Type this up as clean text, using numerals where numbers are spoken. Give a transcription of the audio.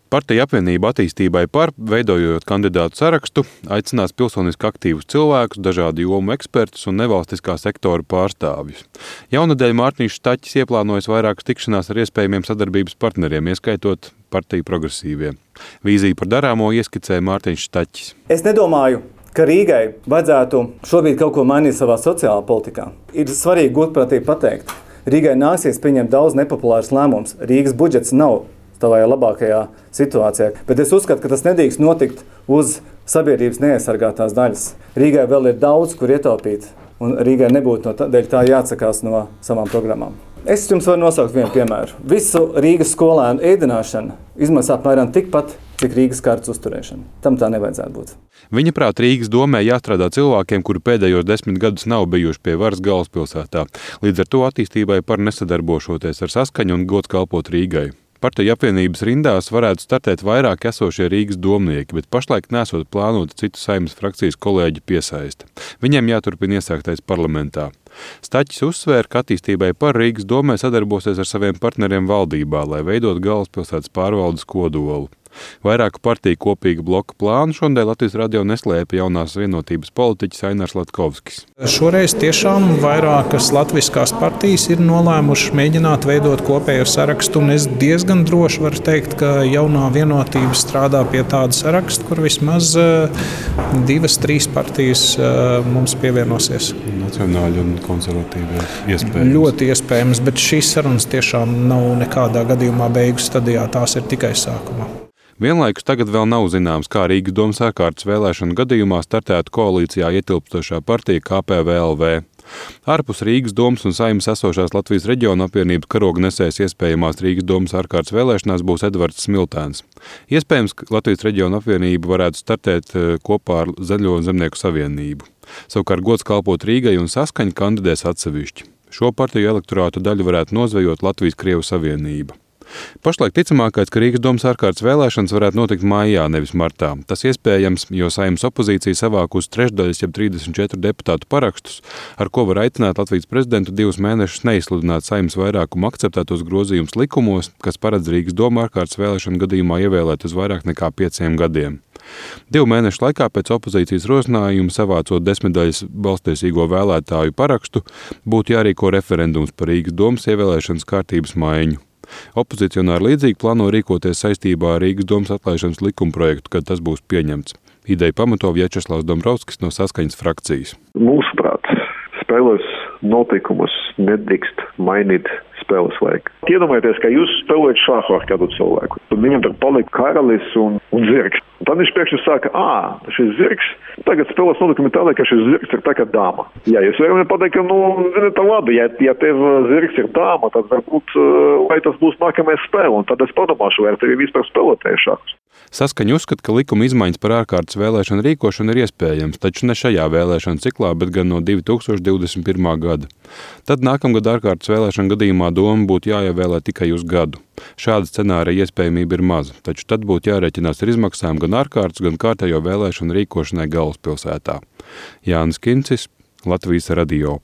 Partija apvienība attīstībai par, veidojot kandidātu sarakstu, aicinās pilsoniski aktīvus cilvēkus, dažādu jomu ekspertus un nevalstiskā sektora pārstāvjus. Jaunadēļ Mārtiņš Staķis ieplānojis vairākas tikšanās ar iespējamiem sadarbības partneriem, ieskaitot partiju progresīvie. Vīziju par darāmo ieskicēja Mārtiņš Staķis. Es nedomāju, ka Rīgai vajadzētu šobrīd kaut ko mainīt savā sociālā politikā. Ir svarīgi godprātīgi pateikt, Rīgai nāksies pieņemt daudz nepopulārus lēmumus. Rīgas budžets nav tavajā labākajā situācijā. Bet es uzskatu, ka tas nedrīkst notikt uz sabiedrības neaizsargātās daļas. Rīgai vēl ir daudz, kur ietaupīt, un Rīgai nebūtu dēļ tā jāatsakās no savām programmām. Es jums varu nosaukt vienu piemēru. Visu Rīgas skolēnu ēdināšana izmaksā apmēram tikpat, cik Rīgas kārtas uzturēšana. Tam tā nevajadzētu būt. Viņa prāt Rīgas domē jāstrādā cilvēkiem, kuri pēdējos 10 gadus nav bijuši pie varas galvaspilsētā. Līdz ar to attīstībai par nesadarbošoties ar Saskaņu un gods kalpot Rīgai. Partiju apvienības rindās varētu startēt vairāk esošie Rīgas domnieki, bet pašlaik nesot plānota citu Saeimas frakcijas kolēģu piesaiste. Viņiem jāturpina iesāktais parlamentā. Staķis uzsvēra, ka attīstībai par Rīgas domē sadarbosies ar saviem partneriem valdībā, lai veidot galvaspilsētas pārvaldes kodolu. Vairāku partiju kopīga bloka plānu šodien Latvijas radio neslēpa jaunās vienotības politiķis Ainars Latkovskis. Šoreiz tiešām vairākas latviskās partijas ir nolēmušas mēģināt veidot kopēju sarakstu, un es diezgan droši varu teikt, ka jaunā vienotība strādā pie tāda saraksta, kur vismaz 2-3 partijas mums pievienosies. Nacionāļi un konservatīvi iespējams. Ļoti iespējams, bet šīs sarunas tiešām nav nekādā gadījumā beigu stadijā, tās ir tikai sākumā. Vienlaikus tagad vēl nav zināms, kā Rīgas domas ārkārtas vēlēšanu gadījumā startētu koalīcijā ietilpstošā partija KPVLV. Ārpus Rīgas domas un Saeimas esošās Latvijas reģiona apvienības karoga nesējs iespējamās Rīgas domas ārkārtas vēlēšanās būs Edvards Smiltēns. Iespējams, ka Latvijas reģiona apvienība varētu startēt kopā ar Zaļo zemnieku savienību. Savukārt gods kalpot Rīgai un Saskaņa kandidēs atsevišķi. Šo partiju elektorātu daļu varētu nozvejot Latvijas-Krievu savienība. Pašlaik ticamākais, ka Rīgas domas ārkārtas vēlēšanas varētu notikt maijā, nevis martā. Tas iespējams, jo Saeimas opozīcija savākusi trešdaļas, jeb 34 deputātu parakstus, ar ko var aicināt Latvijas prezidentu 2 mēnešus neizsludināt Saeimas vairākumu akceptētos grozījumus likumos, kas paredz Rīgas domu ārkārtas vēlēšanu gadījumā ievēlēt uz vairāk nekā 5 gadiem. 2 mēnešu laikā pēc opozīcijas rosinājuma savācot 10 daļas balstiesīgo vēlētāju parakstu, būtu jārīko referendums par Rīgas domas ievēlēšanas kārtības maiņu. Opozicionāri līdzīgi plāno rīkoties saistībā ar Rīgas domas atlaišanas likumprojektu, kad tas būs pieņemts. Ideju pamato Viečeslavs Dombrovskis no Saskaņas frakcijas. Mūsuprāt, spēles notikumus nedrīkst mainīt spēles laiku. Iedomājieties, ka jūs spēlējat šāhu ar kādu cilvēku. Tad viņam tad palika karalis un zirgs. Un tad viņš pēkšņi saka, šis zirgs, tagad spēles notikumi tādā, ka šis zirgs ir tā kā dāma. Jā, es varu pateikt, ka, tā labi, ja tev zirgs ir dāma, tad varbūt, vai tas būs nākamais spēle, un tad es padomāšu, vai tevi vispār spēlētāju šākus. Saskaņa uzskata, ka likuma izmaiņas par ārkārtas vēlēšanu rīkošanu ir iespējams, taču ne šajā vēlēšanu ciklā, bet gan no 2021. gada. Tad nākamgad ārkārtas vēlēšanu gadījumā doma būtu jāievēlē tikai uz gadu. Šāda scenārija iespējamība ir maza, taču tad būtu jārēķinās ar izmaksām gan ārkārtas, gan kārtējo vēlēšanu rīkošanai galvaspilsētā. Jānis Kincis, Latvijas radio.